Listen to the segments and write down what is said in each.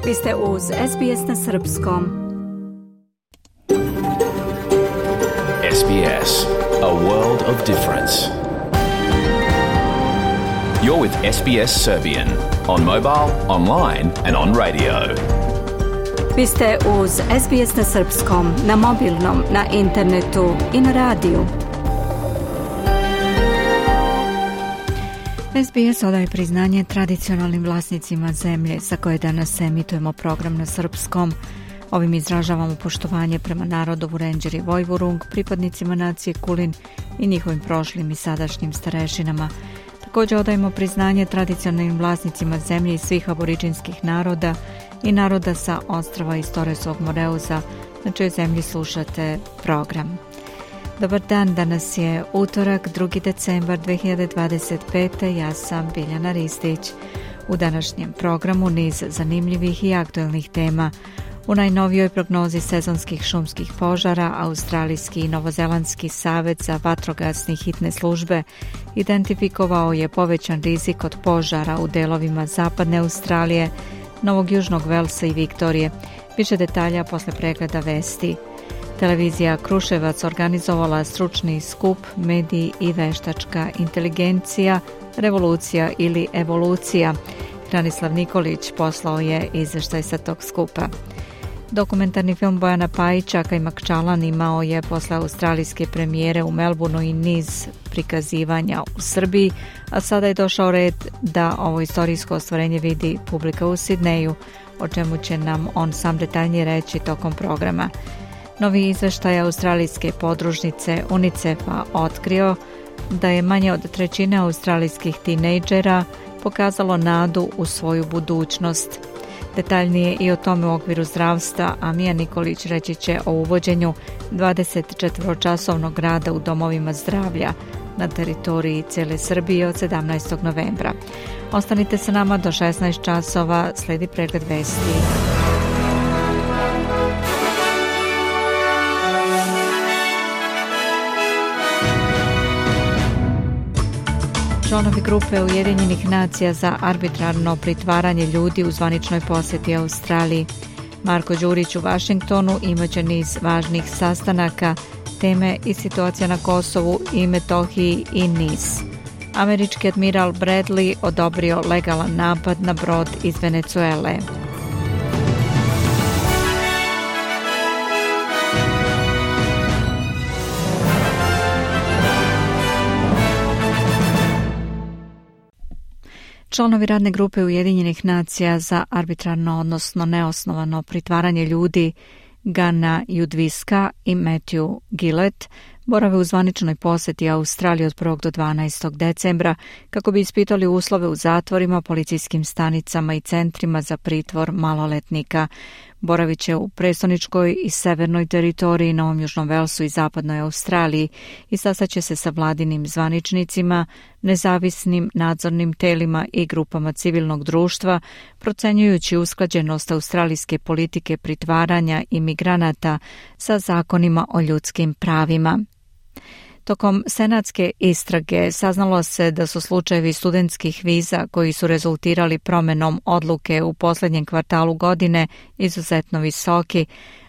Vi ste uz SBS na srpskom. SBS, a world of difference. You're with SBS Serbian on mobile, online and on radio. Vi ste uz SBS na srpskom, na mobilnom, na internetu i na radiju. SBS odaje priznanje tradicionalnim vlasnicima zemlje za koje danas emitujemo program na srpskom. Ovim izražavamo poštovanje prema narodu Vurenđer i Vojvurung, pripadnicima nacije Kulin i njihovim prošlim i sadašnjim starešinama. Također odajemo priznanje tradicionalnim vlasnicima zemlje i svih aboriđinskih naroda i naroda sa ostrava iz Torresovog Moreuza, na čijoj zemlji slušate program. Dobar dan, danas je utorak, 2. decembar 2025. Ja sam Biljana Ristić. U današnjem programu niz zanimljivih i aktuelnih tema. U najnovijoj prognozi sezonskih šumskih požara, Australijski i Novozelandski savez za vatrogasne hitne službe identifikovao je povećan rizik od požara u delovima zapadne Australije, Novog Južnog Velsa i Viktorije. Više detalja posle pregleda vesti. Televizija Kruševac organizovala stručni skup Mediji i veštačka inteligencija, revolucija ili evolucija. Hranislav Nikolić poslao je izveštaj sa tog skupa. Dokumentarni film Bojana Pajića Kajmak Čalan imao je posle australijske premijere u Melbourneu i niz prikazivanja u Srbiji, a sada je došao red da ovo istorijsko ostvarenje vidi publika u Sidneju, o čemu će nam on sam detaljnije reći tokom programa. Novi izveštaj australijske podružnice UNICEF-a otkrio da je manje od trećine australijskih tinejdžera pokazalo nadu u svoju budućnost. Detaljnije i o tome u okviru zdravstva, a Mija Nikolić reći će o uvođenju 24-časovnog rada u domovima zdravlja na teritoriji cijele Srbije od 17. novembra. Ostanite sa nama do 16 časova, sledi pregled vesti. Članovi grupe Ujedinjenih nacija za arbitrarno pritvaranje ljudi u zvaničnoj posjeti Australiji. Marko Đurić u Vašingtonu imaće niz važnih sastanaka, teme i situacija na Kosovu i Metohiji i niz. Američki admiral Bradley odobrio legalan napad na brod iz Venecuele. Članovi radne grupe Ujedinjenih nacija za arbitrarno, odnosno neosnovano pritvaranje ljudi Gana Judviska i Matthew Gillett borave u zvaničnoj posjeti Australiji od 1. do 12. decembra kako bi ispitali uslove u zatvorima, policijskim stanicama i centrima za pritvor maloletnika. Boravit će u prestoničkoj i severnoj teritoriji, Novom Južnom Velsu i zapadnoj Australiji i sastaće se sa vladinim zvaničnicima, nezavisnim nadzornim telima i grupama civilnog društva, procenjujući usklađenost australijske politike pritvaranja imigranata sa zakonima o ljudskim pravima. Tokom senatske istrage saznalo se da su slučajevi studentskih viza koji su rezultirali promjenom odluke u posljednjem kvartalu godine izuzetno visoki.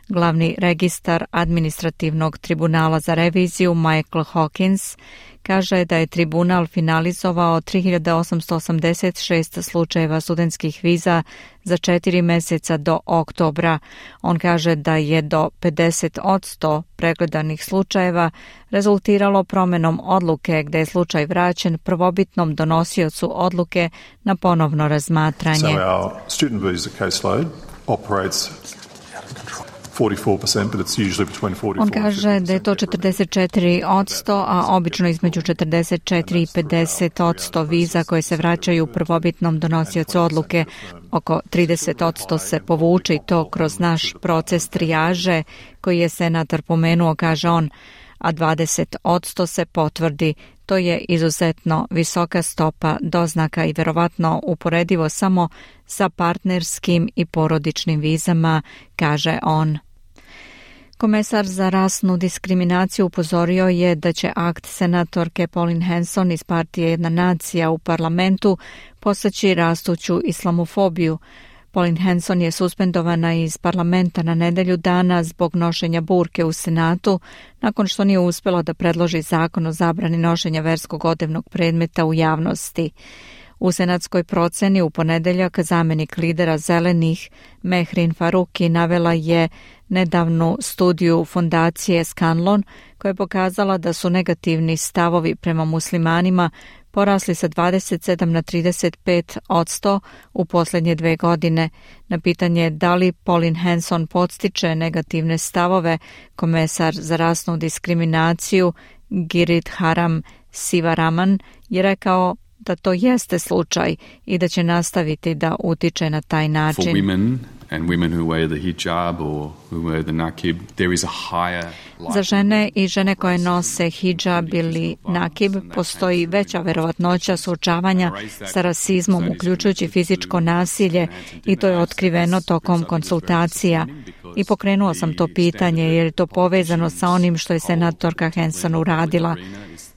Glavni registar administrativnog tribunala za reviziju Michael Hawkins kaže da je tribunal finalizovao 3886 slučajeva studentskih viza za 4 mjeseca do oktobra. On kaže da je do 50% pregledanih slučajeva rezultiralo promjenom odluke gdje je slučaj vraćen prvobitnom donosiocu odluke na ponovno razmatranje. So our student visa caseload operates 44%, but it's usually between 44 On kaže da je to 44%, a obično između 44 i 50% viza koje se vraćaju prvobitnom donosiocu odluke. Oko 30% se povuče i to kroz naš proces trijaže koji je senator pomenuo, kaže on, a 20% se potvrdi. To je izuzetno visoka stopa doznaka i verovatno uporedivo samo sa partnerskim i porodičnim vizama, kaže on. Komesar za rasnu diskriminaciju upozorio je da će akt senatorke Pauline Hanson iz partije Jedna nacija u parlamentu postaći rastuću islamofobiju. Pauline Hanson je suspendovana iz parlamenta na nedelju dana zbog nošenja burke u Senatu, nakon što nije uspjela da predloži zakon o zabrani nošenja verskog odevnog predmeta u javnosti. U senatskoj proceni u ponedeljak zamjenik lidera Zelenih Mehrin Faruqi navela je nedavnu studiju fondacije Scanlon koja je pokazala da su negativni stavovi prema muslimanima porasli sa 27 na 35% u posljednje 2 godine. Na pitanje da li Pauline Hanson podstiče negativne stavove, komesar za rasnu diskriminaciju Girit Haram Sivaraman je rekao da to jeste slučaj i da će nastaviti da utiče na taj način. For women and women who wear the hijab or who wear the nakib, there is a higher Za žene i žene koje nose hijab ili nakib postoji veća verovatnoća suočavanja sa rasizmom, uključujući fizičko nasilje, i to je otkriveno tokom konsultacija. I pokrenuo sam to pitanje jer je to povezano sa onim što je senatorka Hanson uradila.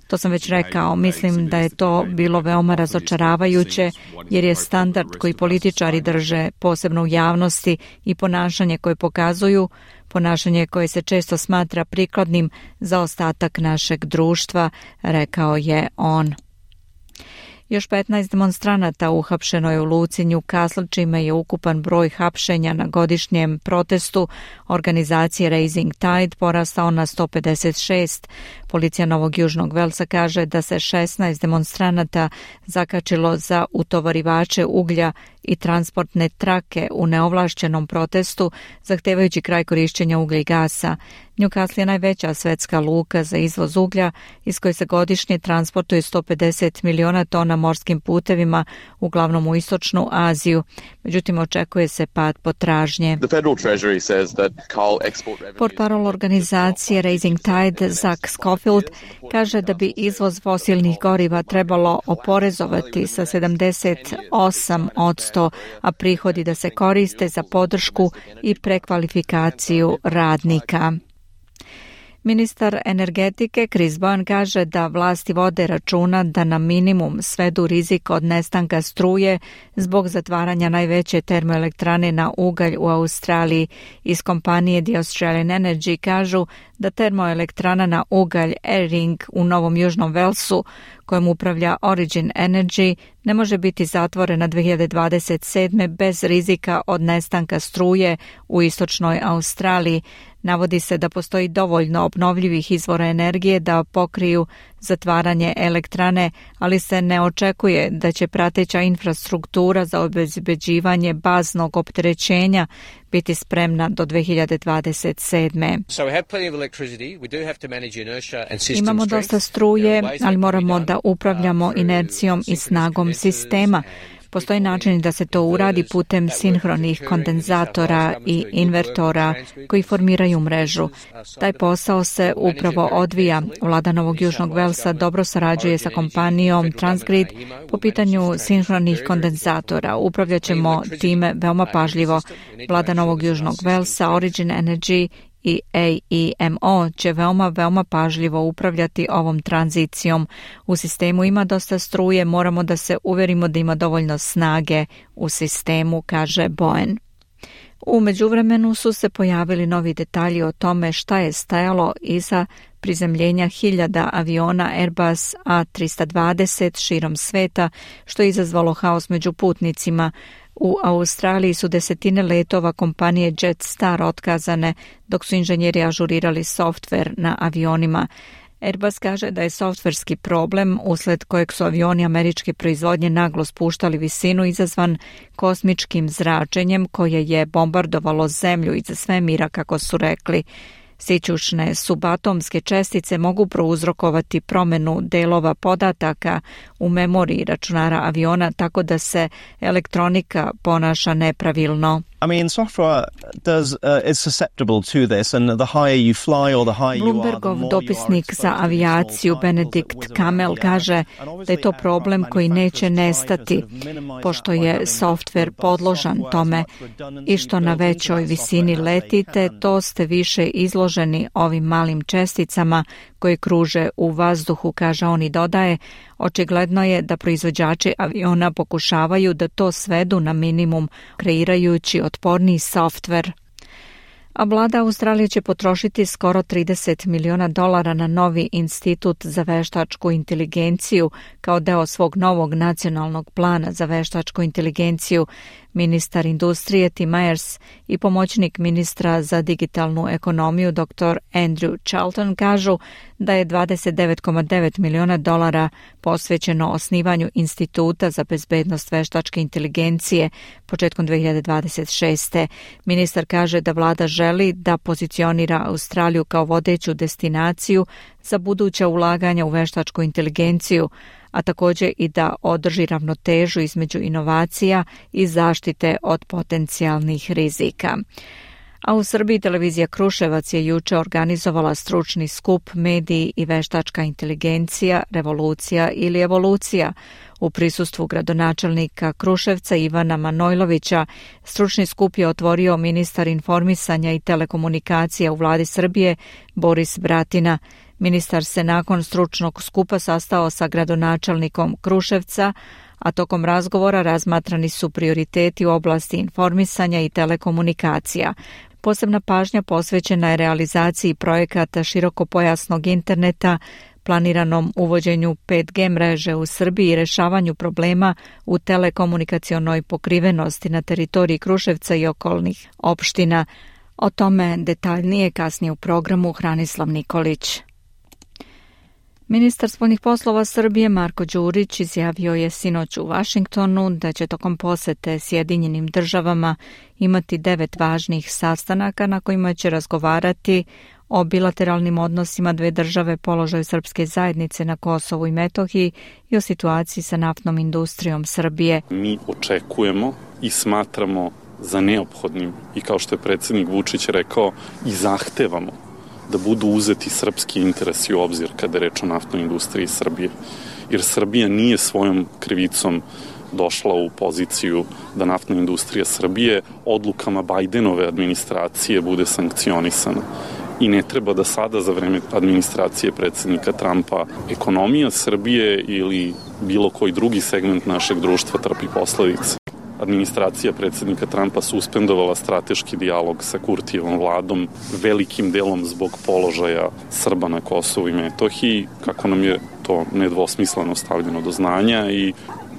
To sam već rekao, mislim da je to bilo veoma razočaravajuće jer je standard koji političari drže, posebno u javnosti, i ponašanje koje pokazuju, ponašanje koje se često smatra prikladnim za ostatak našeg društva, rekao je on. Još 15 demonstranata uhapšeno je u luci Newcastle, čime je ukupan broj hapšenja na godišnjem protestu organizacije Raising Tide porastao na 156. Policija Novog Južnog Velsa kaže da se 16 demonstranata zakačilo za utovarivače uglja i transportne trake u neovlašćenom protestu, zahtevajući kraj korišćenja uglja i gasa. Newcastle je najveća svetska luka za izvoz uglja, iz koje se godišnje transportuje 150 miliona tona morskim putevima, uglavnom u istočnu Aziju. Međutim, očekuje se pad potražnje. Portparol organizacije Raising Tide, Zach Schofield, kaže da bi izvoz fosilnih goriva trebalo oporezovati sa 78%, a prihodi da se koriste za podršku i prekvalifikaciju radnika. Ministar energetike Chris Bowen kaže da vlasti vode računa da na minimum svedu rizik od nestanka struje zbog zatvaranja najveće termoelektrane na ugalj u Australiji. Iz kompanije The Australian Energy kažu da termoelektrana na ugalj Eyring u Novom Južnom Velsu, kojem upravlja Origin Energy, ne može biti zatvorena 2027. bez rizika od nestanka struje u istočnoj Australiji. Navodi se da postoji dovoljno obnovljivih izvora energije da pokriju zatvaranje elektrane, ali se ne očekuje da će prateća infrastruktura za obezbeđivanje baznog opterećenja biti spremna do 2027. Imamo dosta struje, ali moramo da upravljamo inercijom i snagom sistema. Postoji način da se to uradi putem sinhronih kondenzatora i invertora koji formiraju mrežu. Taj posao se upravo odvija. Vlada Novog Južnog Velsa dobro sarađuje sa kompanijom Transgrid po pitanju sinhronih kondenzatora. Upravljat ćemo time veoma pažljivo. Vlada Novog Južnog Velsa, Origin Energy i AEMO će veoma pažljivo upravljati ovom tranzicijom. U sistemu ima dosta struje, moramo da se uverimo da ima dovoljno snage u sistemu, kaže Bowen. U međuvremenu su se pojavili novi detalji o tome šta je stajalo iza prizemljenja hiljada aviona Airbus A320 širom sveta, što je izazvalo haos među putnicima. U Australiji su desetine letova kompanije Jetstar otkazane, dok su inženjeri ažurirali softver na avionima. Airbus kaže da je softverski problem, usled kojeg su avioni američke proizvodnje naglo spuštali visinu, izazvan kosmičkim zračenjem koje je bombardovalo zemlju iza svemira, kako su rekli. Sićušne subatomske čestice mogu prouzrokovati promenu delova podataka u memoriji računara aviona, tako da se elektronika ponaša nepravilno. I mean, software is susceptible to this, and the higher you fly or the higher you are, Bloombergov dopisnik za avijaciju Benedikt Kamel kaže da je to problem koji neće nestati, pošto je softver podložan tome i što na većoj visini letite, to ste više izloženi ovim malim česticama koje kruže u vazduhu, kaže on i dodaje. Očigledno je da proizvođači aviona pokušavaju da to svedu na minimum, kreirajući otporniji softver. A vlada Australije će potrošiti skoro $30 miliona na novi institut za veštačku inteligenciju kao deo svog novog nacionalnog plana za veštačku inteligenciju. Ministar industrije Tim Myers i pomoćnik ministra za digitalnu ekonomiju dr. Andrew Charlton kažu da je $29,9 miliona posvećeno osnivanju instituta za bezbednost veštačke inteligencije početkom 2026. Ministar kaže da vlada želi da pozicionira Australiju kao vodeću destinaciju za buduća ulaganja u veštačku inteligenciju, a također i da održi ravnotežu između inovacija i zaštite od potencijalnih rizika. A u Srbiji televizija Kruševac je juče organizovala stručni skup Mediji i veštačka inteligencija, revolucija ili evolucija. U prisustvu gradonačelnika Kruševca Ivana Manojlovića stručni skup je otvorio ministar informisanja i telekomunikacija u vladi Srbije Boris Bratina. Ministar se nakon stručnog skupa sastao sa gradonačelnikom Kruševca, a tokom razgovora razmatrani su prioriteti u oblasti informisanja i telekomunikacija. Posebna pažnja posvećena je realizaciji projekata širokopojasnog interneta, planiranom uvođenju 5G mreže u Srbiji i rešavanju problema u telekomunikacionoj pokrivenosti na teritoriji Kruševca i okolnih opština. O tome detaljnije kasnije u programu Hranislav Nikolić. Ministar spoljnih poslova Srbije Marko Đurić izjavio je sinoć u Vašingtonu da će tokom posete Sjedinjenim državama imati 9 važnih sastanaka na kojima će razgovarati o bilateralnim odnosima dve države, položaju srpske zajednice na Kosovu i Metohiji i o situaciji sa naftnom industrijom Srbije. Mi očekujemo i smatramo za neophodnim i kao što je predsjednik Vučić rekao i zahtevamo da budu uzeti srpski interesi u obzir kada je reč o naftnoj industriji Srbije. Jer Srbija nije svojom krivicom došla u poziciju da naftna industrija Srbije odlukama Bajdenove administracije bude sankcionisana. I ne treba da sada za vreme administracije predsjednika Trumpa ekonomija Srbije ili bilo koji drugi segment našeg društva trpi posledice. Administracija predsjednika Trumpa suspendovala strateški dijalog sa Kurtijevom vladom, velikim delom zbog položaja Srba na Kosovu i Metohiji, kako nam je to nedvosmisleno stavljeno do znanja, i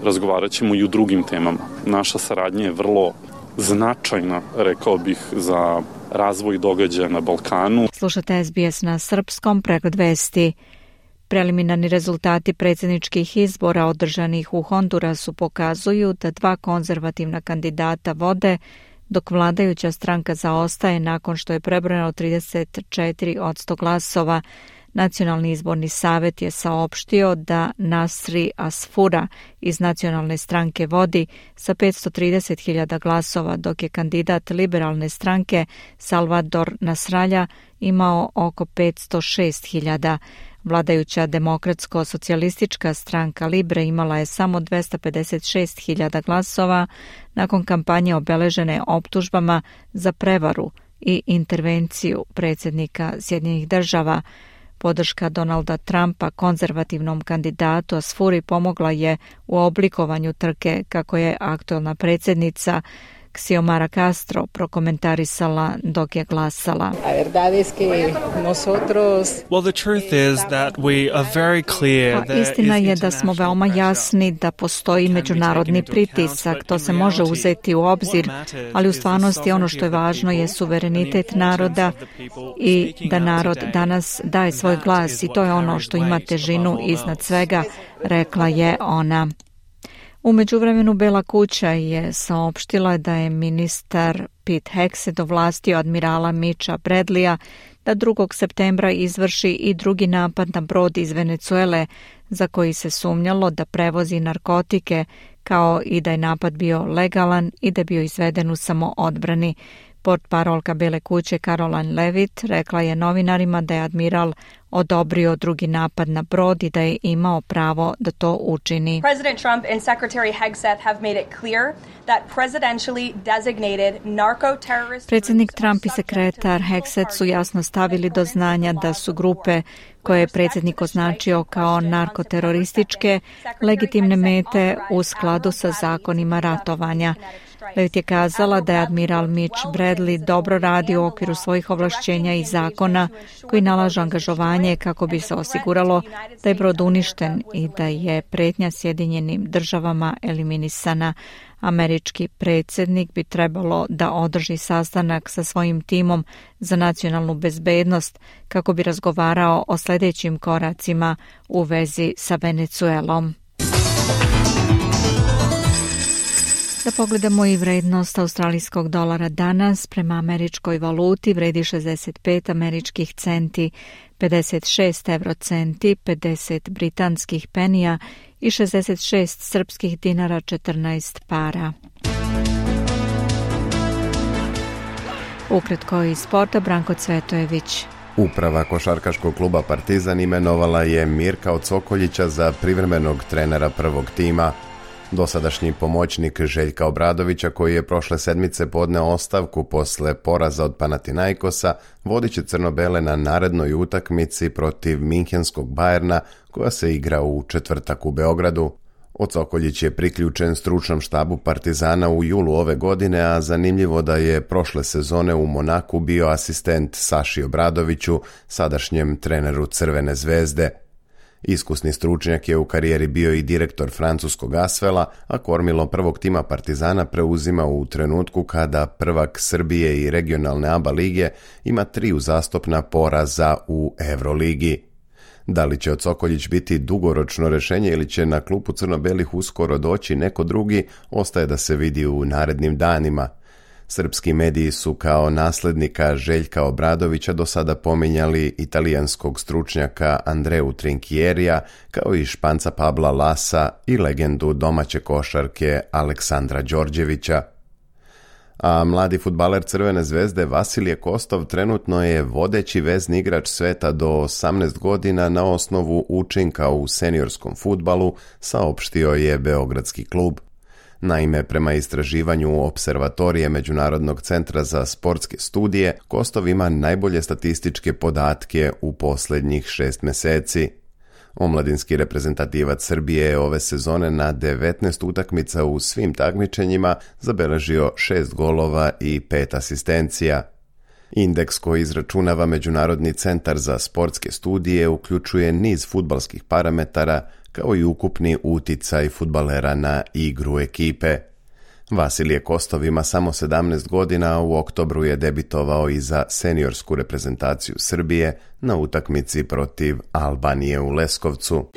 razgovarat ćemo i u drugim temama. Naša saradnja je vrlo značajna, rekao bih, za razvoj događaja na Balkanu. Slušate SBS na srpskom, pregled vesti. Preliminarni rezultati predsjedničkih izbora održanih u Hondurasu pokazuju da 2 konzervativna kandidata vode, dok vladajuća stranka zaostaje nakon što je prebrojano 34% glasova. Nacionalni izborni savjet je saopštio da Nasri Asfura iz nacionalne stranke vodi sa 530.000 glasova, dok je kandidat liberalne stranke Salvador Nasralja imao oko 506.000. Vladajuća demokratsko-socijalistička stranka Libre imala je samo 256.000 glasova nakon kampanje obeležene optužbama za prevaru i intervenciju predsjednika Sjedinjenih država. Podrška Donalda Trumpa konzervativnom kandidatu Asfuri pomogla je u oblikovanju trke, kako je aktuelna predsjednica Xiomara Castro prokomentarisala dok je glasala. Istina je da smo veoma jasni da postoji međunarodni pritisak, to se može uzeti u obzir, ali u stvarnosti ono što je važno je suverenitet naroda i da narod danas daje svoj glas i to je ono što ima težinu iznad svega, rekla je ona. U međuvremenu Bela kuća je saopštila da je ministar Pete Hegseth ovlastio admirala Mitcha Bradleya da 2. septembra izvrši i drugi napad na brod iz Venecuele za koji se sumnjalo da prevozi narkotike, kao i da je napad bio legalan i da je bio izveden u samoodbrani. Portparolka Bele kuće Caroline Levitt rekla je novinarima da je admiral odobrio drugi napad na brod i da je imao pravo da to učini. President Trump and Secretary Hegseth have made it clear that presidentially designated narco-terrorist... Predsjednik Trump i sekretar Hegseth su jasno stavili do znanja da su grupe koje je predsjednik označio kao narkoterorističke legitimne mete u skladu sa zakonima ratovanja. Levitt je kazala da je admiral Mitch Bradley dobro radi u okviru svojih ovlašćenja i zakona koji nalažu angažovanje kako bi se osiguralo da je brod uništen i da je pretnja Sjedinjenim državama eliminisana. Američki predsjednik bi trebalo da održi sastanak sa svojim timom za nacionalnu bezbednost kako bi razgovarao o sljedećim koracima u vezi sa Venezuelom. Da pogledamo i vrednost australijskog dolara danas prema američkoj valuti vredi 65 američkih centi, 56 eurocenti, 50 britanskih penija i 66 srpskih dinara 14 para. Ukratko iz sporta, Branko Cvetojević. Uprava košarkaškog kluba Partizan imenovala je Mirka Cokoljića za privremenog trenera prvog tima. Dosadašnji pomoćnik Željka Obradovića, koji je prošle sedmice podneo ostavku posle poraza od Panathinaikosa, vodit će crno-bele na narednoj utakmici protiv Minhenskog Bayerna, koja se igra u četvrtak u Beogradu. Cokoljić je priključen stručnom štabu Partizana u julu ove godine, a zanimljivo da je prošle sezone u Monaku bio asistent Saši Obradoviću, sadašnjem treneru Crvene zvezde. Iskusni stručnjak je u karijeri bio i direktor francuskog Asvela, a kormilo prvog tima Partizana preuzima u trenutku kada prvak Srbije i regionalne ABA lige ima 3 uzastopna poraza u Euroligi. Da li će Cokoljić biti dugoročno rješenje ili će na klupu crno-belih uskoro doći neko drugi, ostaje da se vidi u narednim danima. Srpski mediji su kao naslednika Željka Obradovića do sada pominjali italijanskog stručnjaka Andreu Trinchierija, kao i Španca Pabla Lasa i legendu domaće košarke Aleksandra Đorđevića. A mladi fudbaler Crvene zvezde Vasilije Kostov trenutno je vodeći vezni igrač sveta do 18 godina na osnovu učinka u seniorskom fudbalu, saopštio je beogradski klub. Naime, prema istraživanju Opservatorije Međunarodnog centra za sportske studije, Kostov ima najbolje statističke podatke u posljednjih 6 mjeseci. Omladinski reprezentativac Srbije je ove sezone na 19 utakmica u svim takmičenjima zabeležio 6 golova i 5 asistencija. Indeks koji izračunava Međunarodni centar za sportske studije uključuje niz fudbalskih parametara, kao i ukupni uticaj fudbalera na igru ekipe. Vasilije Kostov ima samo 17 godina, a u oktobru je debitovao i za seniorsku reprezentaciju Srbije na utakmici protiv Albanije u Leskovcu.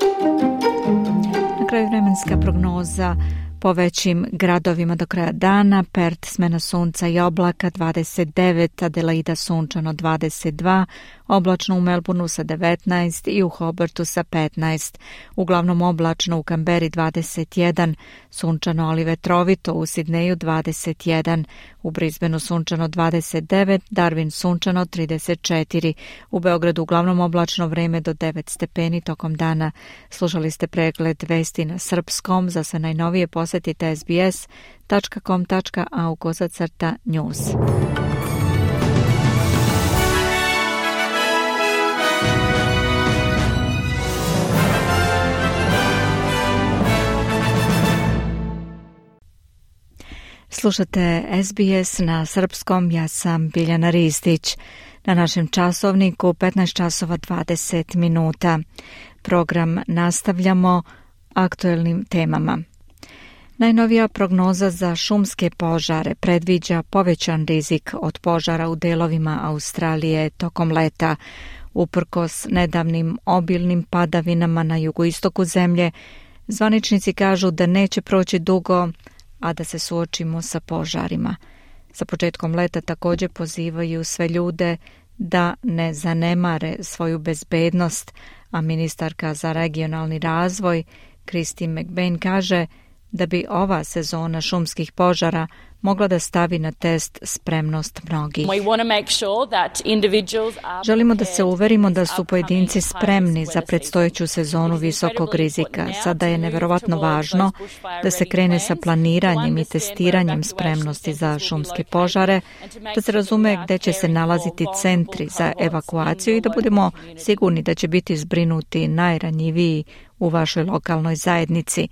Na kraju vremenska prognoza po većim gradovima do kraja dana: Perth smena sunca i oblaka 29, Adelaida sunčano 22, oblačno u Melbourneu sa 19 i u Hobartu sa 15. Uglavnom oblačno u Kamberi 21, sunčano ali vetrovito u Sidneju 21, u Brisbaneu sunčano 29, Darwin sunčano 34, u Beogradu uglavnom oblačno, vreme do 9 stepeni tokom dana. Slušali ste pregled vesti na srpskom. Za sve najnovije posjetite sbs.com.au/news. Slušate SBS na srpskom, ja sam Biljana Ristić. Na našem časovniku 15 časova 20 minuta. Program nastavljamo aktuelnim temama. Najnovija prognoza za šumske požare predviđa povećan rizik od požara u delovima Australije tokom leta. Uprkos nedavnim obilnim padavinama na jugoistoku zemlje, zvaničnici kažu da neće proći dugo, a da se suočimo sa požarima. Sa početkom leta također pozivaju sve ljude da ne zanemare svoju bezbednost, a ministarka za regionalni razvoj Christine McBain kaže da bi ova sezona šumskih požara mogla da stavi na test spremnost mnogih. Želimo da se uverimo da su pojedinci spremni za predstojeću sezonu visokog rizika. Sada je neverovatno važno da se krene sa planiranjem i testiranjem spremnosti za šumske požare, da se razume gde će se nalaziti centri za evakuaciju i da budemo sigurni da će biti zbrinuti najranjiviji u vašoj lokalnoj zajednici.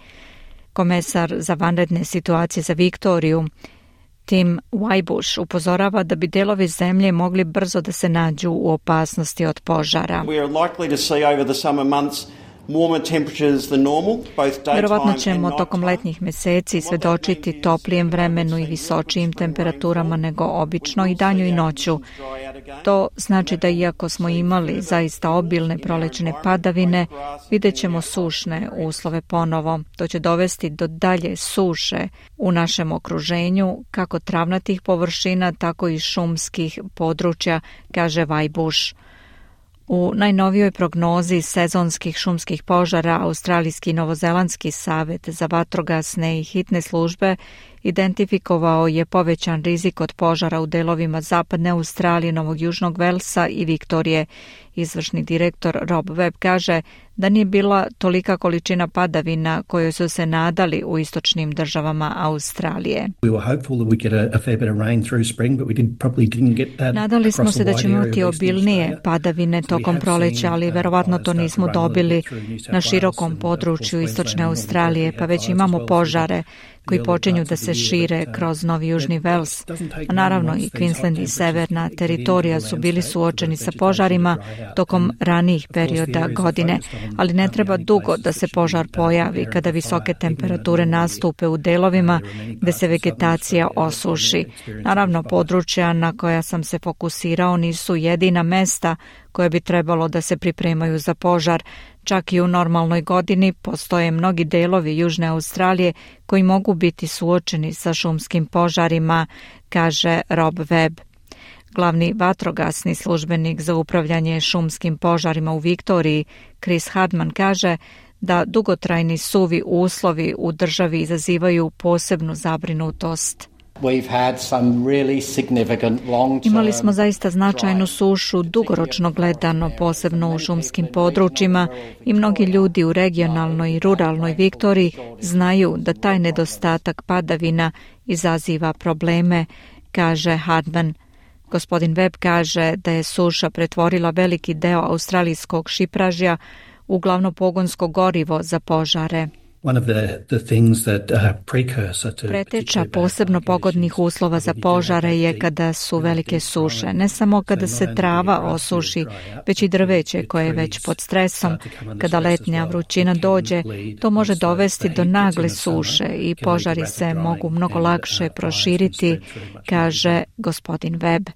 Komesar za vanredne situacije za Viktoriju, Tim Wajbuš, upozorava da bi delovi zemlje mogli brzo da se nađu u opasnosti od požara. Verovatno ćemo tokom letnjih meseci svedočiti toplijem vremenu i visočijim temperaturama nego obično i danju i noću. To znači da iako smo imali zaista obilne prolećne padavine, vidjet ćemo sušne uslove ponovo. To će dovesti do dalje suše u našem okruženju, kako travnatih površina, tako i šumskih područja, kaže Wajbuš. U najnovijoj prognozi sezonskih šumskih požara Australijski i Novozelandski savet za vatrogasne i hitne službe identifikovao je povećan rizik od požara u delovima zapadne Australije, Novog Južnog Velsa i Viktorije. Izvršni direktor Rob Webb kaže da nije bila tolika količina padavina kojoj su se nadali u istočnim državama Australije. Nadali smo se da ćemo imati obilnije padavine tokom proleća, ali verovatno to nismo dobili na širokom području istočne Australije, pa već imamo požare koji počinju da se šire kroz Novi Južni Vels. A naravno i Queensland i severna teritorija su bili suočeni sa požarima tokom ranijih perioda godine, ali ne treba dugo da se požar pojavi kada visoke temperature nastupe u delovima gde se vegetacija osuši. Naravno, područja na koja sam se fokusirao nisu jedina mesta koje bi trebalo da se pripremaju za požar. Čak i u normalnoj godini postoje mnogi delovi Južne Australije koji mogu biti suočeni sa šumskim požarima, kaže Rob Webb. Glavni vatrogasni službenik za upravljanje šumskim požarima u Viktoriji, Chris Hardman, kaže da dugotrajni suvi uslovi u državi izazivaju posebnu zabrinutost. Imali smo zaista značajnu sušu dugoročno gledano, posebno u šumskim područjima, i mnogi ljudi u regionalnoj i ruralnoj Viktoriji znaju da taj nedostatak padavina izaziva probleme, kaže Hardman. Gospodin Webb kaže da je suša pretvorila veliki deo australijskog šipražja u glavno pogonsko gorivo za požare. Preteča posebno pogodnih uslova za požare je kada su velike suše. Ne samo kada se trava osuši, već i drveće koje je već pod stresom. Kada letnja vrućina dođe, to može dovesti do nagle suše i požari se mogu mnogo lakše proširiti, kaže gospodin Webb.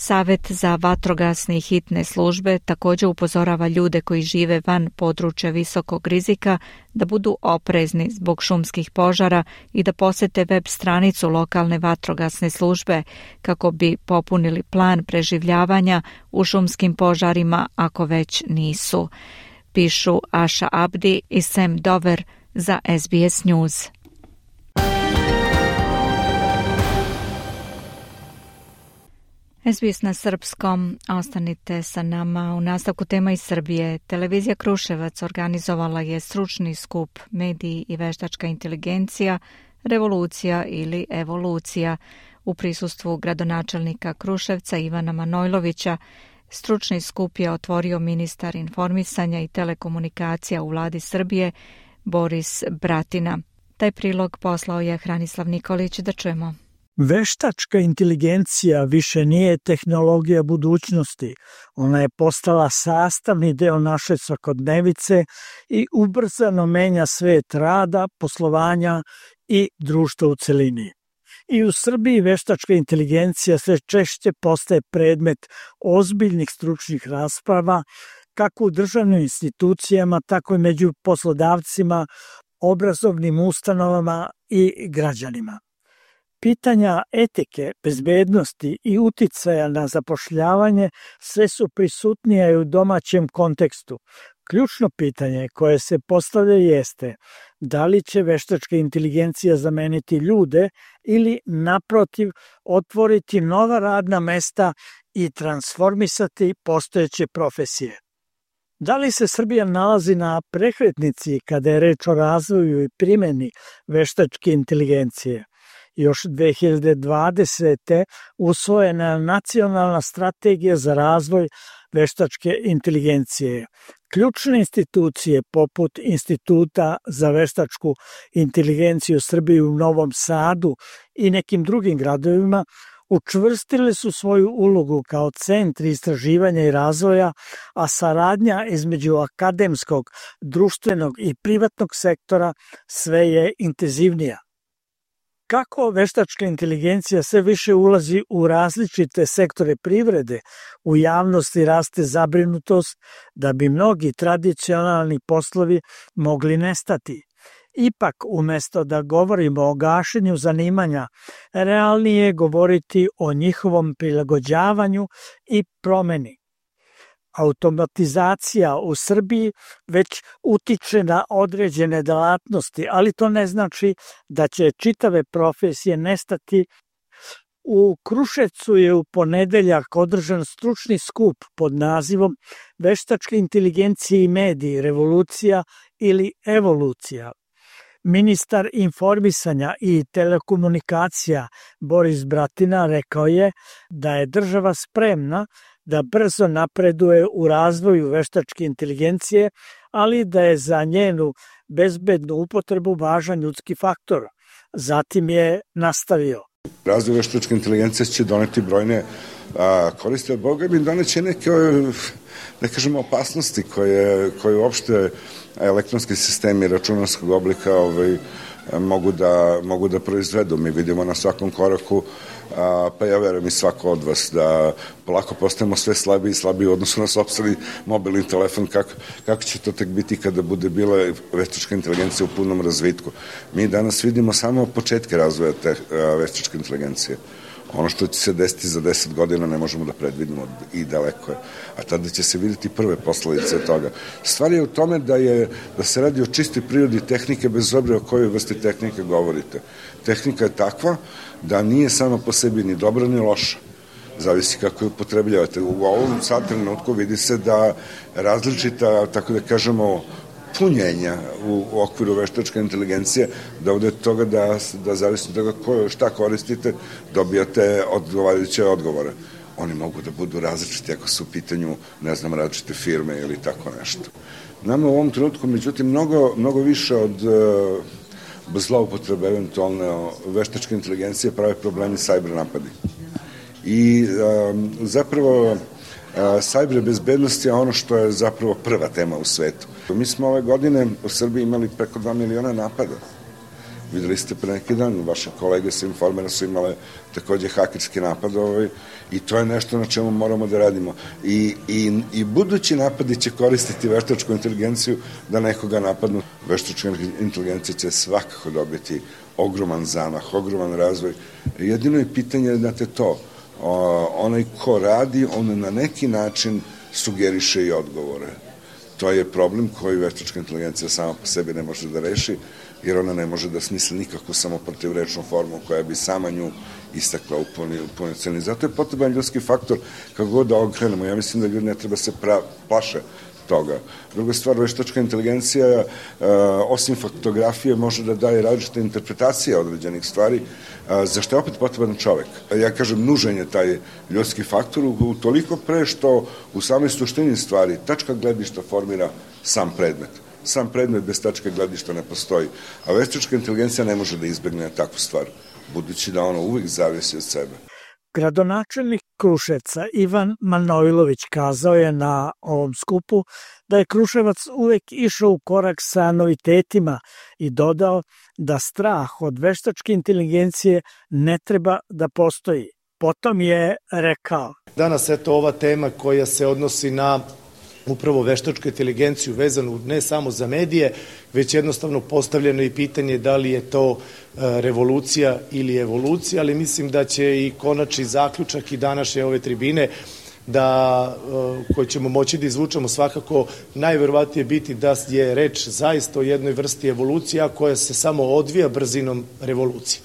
Savet za vatrogasne i hitne službe također upozorava ljude koji žive van područja visokog rizika da budu oprezni zbog šumskih požara i da posete web stranicu lokalne vatrogasne službe kako bi popunili plan preživljavanja u šumskim požarima ako već nisu. Pišu Asha Abdi i Sam Dover za SBS News. SBS na srpskom, ostanite sa nama. U nastavku tema iz Srbije. Televizija Kruševac organizovala je stručni skup Mediji i veštačka inteligencija, revolucija ili evolucija. U prisustvu gradonačelnika Kruševca Ivana Manojlovića stručni skup je otvorio ministar informisanja i telekomunikacija u vladi Srbije Boris Bratina. Taj prilog poslao je Hranislav Nikolić, da čujemo. Veštačka inteligencija više nije tehnologija budućnosti. Ona je postala sastavni deo naše svakodnevice i ubrzano menja svet rada, poslovanja i društva u celini. I u Srbiji veštačka inteligencija sve češće postaje predmet ozbiljnih stručnih rasprava, kako u državnim institucijama, tako i među poslodavcima, obrazovnim ustanovama i građanima. Pitanja etike, bezbednosti i uticaja na zapošljavanje sve su prisutnije u domaćem kontekstu, Ključno pitanje koje se postavlja jeste da li će veštačka inteligencija zameniti ljude ili naprotiv otvoriti nova radna mesta i transformisati postojeće profesije. Da li se Srbija nalazi na prekretnici kada je reč o razvoju i primjeni veštačke inteligencije? Još 2020. usvojena je nacionalna strategija za razvoj veštačke inteligencije. Ključne institucije poput Instituta za veštačku inteligenciju Srbije u Novom Sadu i nekim drugim gradovima učvrstile su svoju ulogu kao centri istraživanja i razvoja, a saradnja između akademskog, društvenog i privatnog sektora sve je intenzivnija. Kako veštačka inteligencija sve više ulazi u različite sektore privrede, u javnosti raste zabrinutost da bi mnogi tradicionalni poslovi mogli nestati. Ipak, umesto da govorimo o gašenju zanimanja, realnije je govoriti o njihovom prilagođavanju i promeni. Automatizacija u Srbiji već utiče na određene delatnosti, ali to ne znači da će čitave profesije nestati. U Kruševcu je u ponedeljak održan stručni skup pod nazivom Veštačka inteligencija i mediji, revolucija ili evolucija. Ministar informisanja i telekomunikacija Boris Bratina rekao je da je država spremna da brzo napreduje u razvoju veštačke inteligencije, ali da je za njenu bezbednu upotrebu važan ljudski faktor. Zatim je nastavio. Razvoj veštačke inteligencije će doneti brojne koristi, od Boga mi doneće neke, da kažemo, opasnosti koje uopšte elektronski sistemi računarskog oblika mogu da proizvedu. Mi vidimo na svakom koraku, pa ja verujem i svako od vas, da polako postajemo sve slabiji i slabiji u odnosu na sopstveni mobilni telefon. Kako će to tek biti kada bude bila veštačka inteligencija u punom razvitku? Mi danas vidimo samo početke razvoja te veštačke inteligencije. Ono što će se desiti za 10 godina ne možemo da predvidimo i daleko je. A tada će se vidjeti prve posledice toga. Stvar je u tome da se radi o čistoj prirodi tehnike, bez obzira o kojoj vrsti tehnike govorite. Tehnika je takva da nije sama po sebi ni dobra ni loša. Zavisi kako je upotrebljavate. U ovom sad trenutku vidi se da različita, tako da kažemo, punjenja u okviru veštačke inteligencije dovode od toga da zavisi od toga šta koristite, dobijate odgovarajuće odgovore. Oni mogu da budu različiti ako su u pitanju, ne znam, različite firme ili tako nešto. Nama u ovom trenutku, međutim, mnogo više od zloupotrebe eventualne veštačke inteligencije prave problemi cyber napadi. I zapravo cyber bezbednost je ono što je zapravo prva tema u svetu. Mi smo ove godine u Srbiji imali preko 2 miliona napada. Videli ste pre neki dan, vaše kolege sa Informera su imale takođe hakerski napad i to je nešto na čemu moramo da radimo. I budući napadi će koristiti veštačku inteligenciju da nekoga napadnu. Veštačka inteligencija će svakako dobiti ogroman zamah, ogroman razvoj. Jedino je pitanje, znate, to. Onaj ko radi, on na neki način sugeriše i odgovore. To je problem koji veštačka inteligencija sama po sebi ne može da reši, jer ona ne može da smisli nikakvu samoprotivrečnu formu koja bi sama nju istakla u punoj ceni. Zato je potreban ljudski faktor kako god da okrenemo. Ja mislim da ljudi ne treba se plaše toga. Druga stvar, veštačka inteligencija, osim faktografije, može da daje različite interpretacije određenih stvari, za što je opet potreban čovek. Ja kažem, nužan je taj ljudski faktor, utoliko pre što u samoj suštini stvari tačka gledišta formira sam predmet. Sam predmet bez tačke gledišta ne postoji. A veštačka inteligencija ne može da izbegne takvu stvar, budući da ono uvek zavisi od sebe. Gradonačelnik Kruševca Ivan Manojlović kazao je na ovom skupu da je Kruševac uvek išao u korak sa novitetima i dodao da strah od veštačke inteligencije ne treba da postoji. Potom je rekao: Danas eto ova tema koja se odnosi na upravo veštačku inteligenciju vezanu ne samo za medije, već jednostavno postavljeno i pitanje da li je to revolucija ili evolucija, ali mislim da će i konačni zaključak i današnje ove tribine koje ćemo moći da izvučemo svakako najverovatnije biti da je reč zaista o jednoj vrsti evolucija koja se samo odvija brzinom revolucije.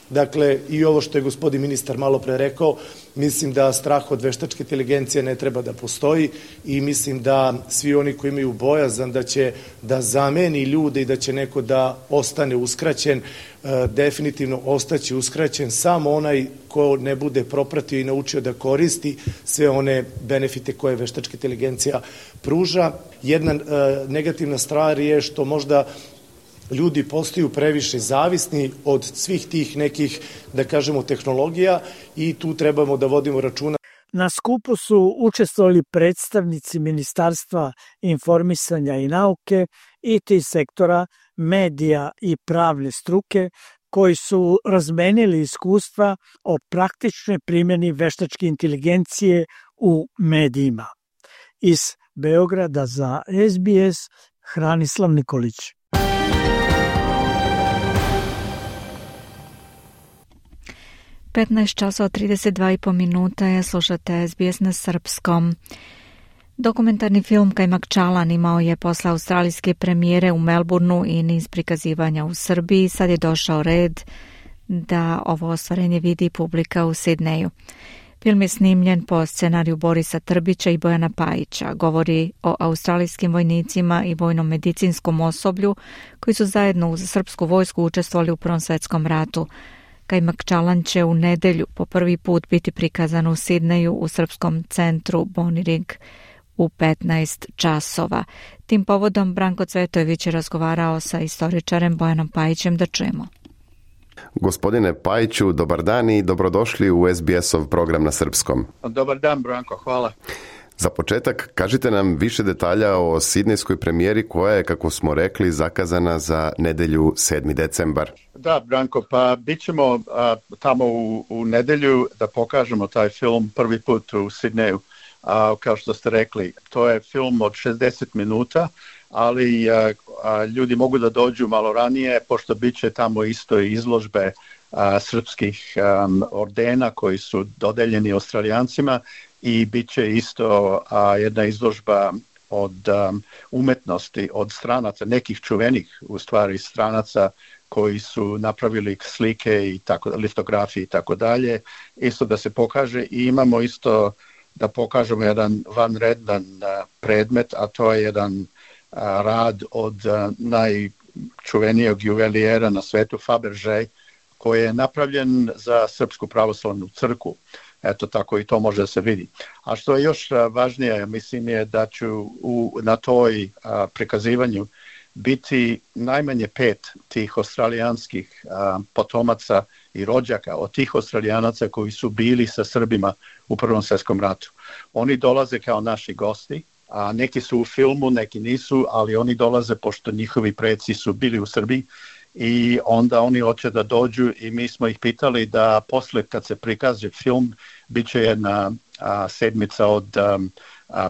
Dakle, i ovo što je gospodin ministar malo pre rekao, mislim da strah od veštačke inteligencije ne treba da postoji i mislim da svi oni koji imaju bojazan da će da zameni ljude i da će neko da ostane uskraćen, definitivno ostaće uskraćen samo onaj ko ne bude propratio i naučio da koristi sve one benefite koje veštačka inteligencija pruža. Jedna negativna stvar je što možda ljudi postaju previše zavisni od svih tih nekih, da kažemo, tehnologija i tu trebamo da vodimo računa. Na skupu su učestvovali predstavnici Ministarstva informisanja i nauke, IT sektora, medija i pravne struke, koji su razmenili iskustva o praktičnoj primjeni veštačke inteligencije u medijima. Iz Beograda za SBS, Hranislav Nikolić. 15 časova 32,5 minuta je, slušate SBS na srpskom. Dokumentarni film Kajmak Čalan imao je posle australijske premijere u Melbourneu i niz prikazivanja u Srbiji. Sad je došao red da ovo ostvarenje vidi publika u Sidneju. Film je snimljen po scenariju Borisa Trbića i Bojana Pajića. Govori o australijskim vojnicima i vojno-medicinskom osoblju koji su zajedno uz srpsku vojsku učestvovali u Prvom svetskom ratu. Kajmak Čalan će u nedelju po prvi put biti prikazan u Sidneju u srpskom centru Bonirig u 15 časova. Tim povodom Branko Cvetojević je razgovarao sa istoričarem Bojanom Pajićem, da čujemo. Gospodine Pajiću, dobar dan i dobrodošli u SBS-ov program na srpskom. Dobar dan, Branko, hvala. Za početak, kažite nam više detalja o sidnejskoj premijeri koja je, kako smo rekli, zakazana za nedelju 7. decembar. Da, Branko, pa bit ćemo tamo u nedelju da pokažemo taj film prvi put u Sidneju. Kao što ste rekli, to je film od 60 minuta, ali ljudi mogu da dođu malo ranije, pošto bit će tamo isto izložbe srpskih ordena koji su dodeljeni Australijancima i bit će isto jedna izložba od umetnosti, od stranaca, nekih čuvenih u stvari stranaca koji su napravili slike i litografije i tako dalje, isto da se pokaže i imamo isto da pokažemo jedan vanredan predmet, a to je jedan rad od najčuvenijeg juvelijera na svetu, Fabergé, koji je napravljen za Srpsku pravoslavnu crkvu. Eto, tako i to može da se vidi. A što je još važnije, mislim je da ću na toj prikazivanju biti najmanje 5 tih australijanskih potomaca i rođaka od tih Australijanaca koji su bili sa Srbima u Prvom svjetskom ratu. Oni dolaze kao naši gosti, a neki su u filmu, neki nisu, ali oni dolaze pošto njihovi preci su bili u Srbiji i onda oni hoće da dođu i mi smo ih pitali da posle kad se prikaže film bit će jedna sedmica od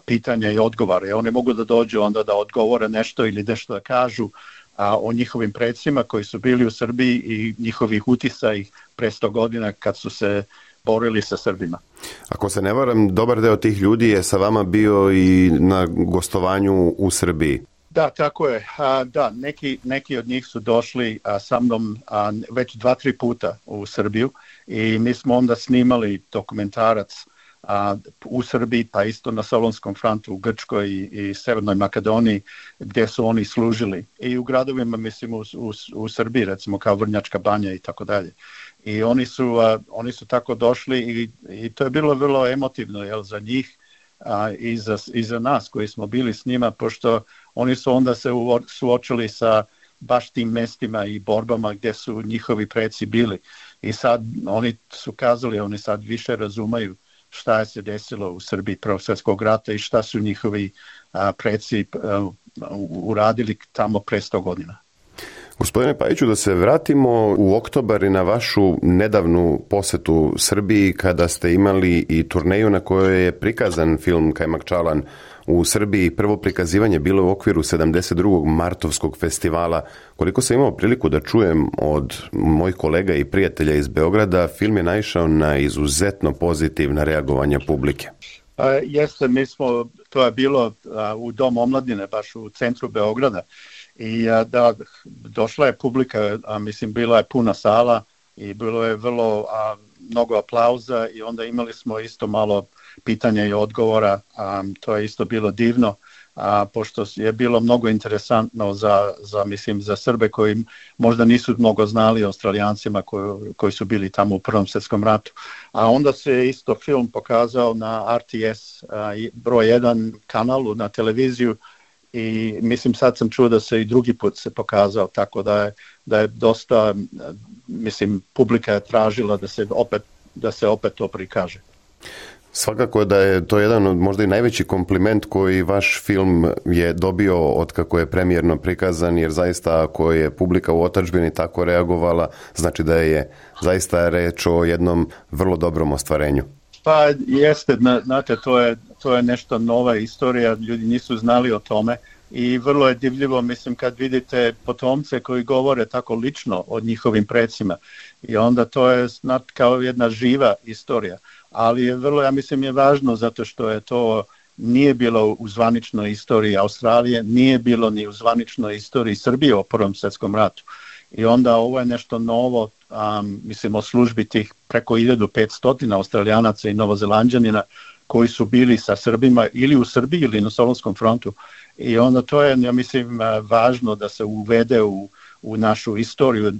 pitanja i odgovara. I oni mogu da dođu onda da odgovore nešto ili nešto da kažu o njihovim predsima koji su bili u Srbiji i njihovih utisa ih pre 100 godina kad su se borili sa Srbima. Ako se ne varam, dobar deo tih ljudi je sa vama bio i na gostovanju u Srbiji. Da, tako je. Da, neki od njih su došli sa mnom već 2-3 puta u Srbiju i mi smo onda snimali dokumentarac u Srbiji, pa isto na Solonskom frontu u Grčkoj i Severnoj Makedoniji gdje su oni služili i u gradovima, mislim u Srbiji, recimo kao Vrnjačka Banja i tako dalje. I oni su tako došli i to je bilo vrlo emotivno za njih i za nas koji smo bili s njima, pošto oni su onda se suočili sa baš tim mestima i borbama gdje su njihovi preci bili. I sad oni su kazali, oni sad više razumaju šta je se desilo u Srbiji Prvog svjetskog rata i šta su njihovi preci uradili tamo pre 100 godina. Gospodine Pajiću, da se vratimo u oktobar i na vašu nedavnu posetu Srbiji kada ste imali i turneju na kojoj je prikazan film Kajmak Čalan u Srbiji. Prvo prikazivanje bilo u okviru 72. Martovskog festivala. Koliko sam imao priliku da čujem od mojih kolega i prijatelja iz Beograda, film je naišao na izuzetno pozitivna reagovanja publike. Jeste, to je bilo u Dom omladine, baš u centru Beograda. I da, došla je publika, bila je puna sala i bilo je vrlo mnogo aplauza i onda imali smo isto malo pitanja i odgovora, to je isto bilo divno, pošto je bilo mnogo interesantno za Srbe koji možda nisu mnogo znali o Australijancima koji su bili tamo u Prvom svjetskom ratu. A onda se isto film pokazao na RTS broj 1 kanalu na televiziju i sad sam čuo da se i drugi put se pokazao, tako da je dosta, publika je tražila da se opet to prikaže. Svakako da je to jedan od možda i najveći kompliment koji vaš film je dobio od kako je premijerno prikazan, jer zaista ako je publika u otadžbini tako reagovala, znači da je zaista reč o jednom vrlo dobrom ostvarenju. Pa jeste, znate, to je nešto nova istorija, ljudi nisu znali o tome i vrlo je divljivo, kad vidite potomce koji govore tako lično o njihovim precima i onda to je kao jedna živa istorija. Ali je vrlo, je važno zato što je to nije bilo u zvaničnoj istoriji Australije, nije bilo ni u zvaničnoj istoriji Srbije o Prvom svjetskom ratu. I onda ovo je nešto novo, o službi tih preko 1500 Australijanaca i Novozelanđanina koji su bili sa Srbima ili u Srbiji ili na Solunskom frontu. I onda to je, važno da se uvede u našu istoriju,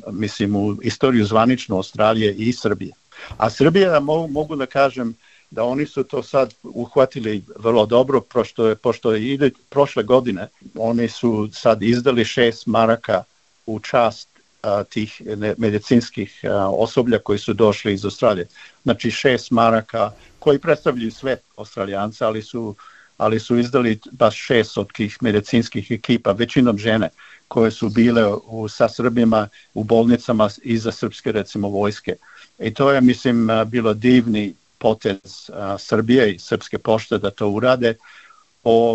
u istoriju zvaničnu Australije i Srbije. A Srbija, mogu da kažem da oni su to sad uhvatili vrlo dobro, pošto je prošle godine oni su sad izdali 6 maraka u čast tih medicinskih osoblja koji su došli iz Australije. Znači 6 maraka koji predstavljaju sve Australijanca, ali su izdali baš 6 od tih medicinskih ekipa, većinom žene koje su bile sa Srbima u bolnicama iza srpske, recimo, vojske. I to je, bilo divni potez Srbije i Srpske pošte da to urade.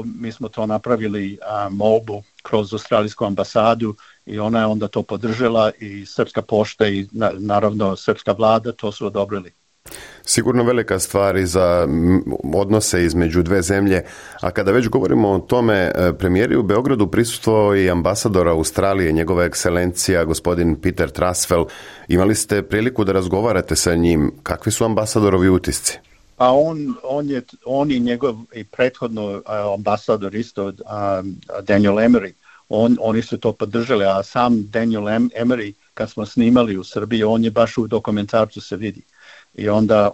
Mi smo to napravili molbu kroz Australijsku ambasadu i ona je onda to podržala i Srpska pošta i naravno Srpska vlada to su odobrili. Sigurno velika stvar i za odnose između dve zemlje, a kada već govorimo o tome, premijeri u Beogradu prisustvovao i ambasador Australije, njegova ekscelencija, gospodin Peter Trasfell. Imali ste priliku da razgovarate sa njim. Kakvi su ambasadorovi utisci? Pa on i njegov i prethodno ambasador isto, Daniel Emery, oni su to podržali, a sam Daniel Emery, kad smo snimali u Srbiji, on je baš u dokumentarcu se vidi. I onda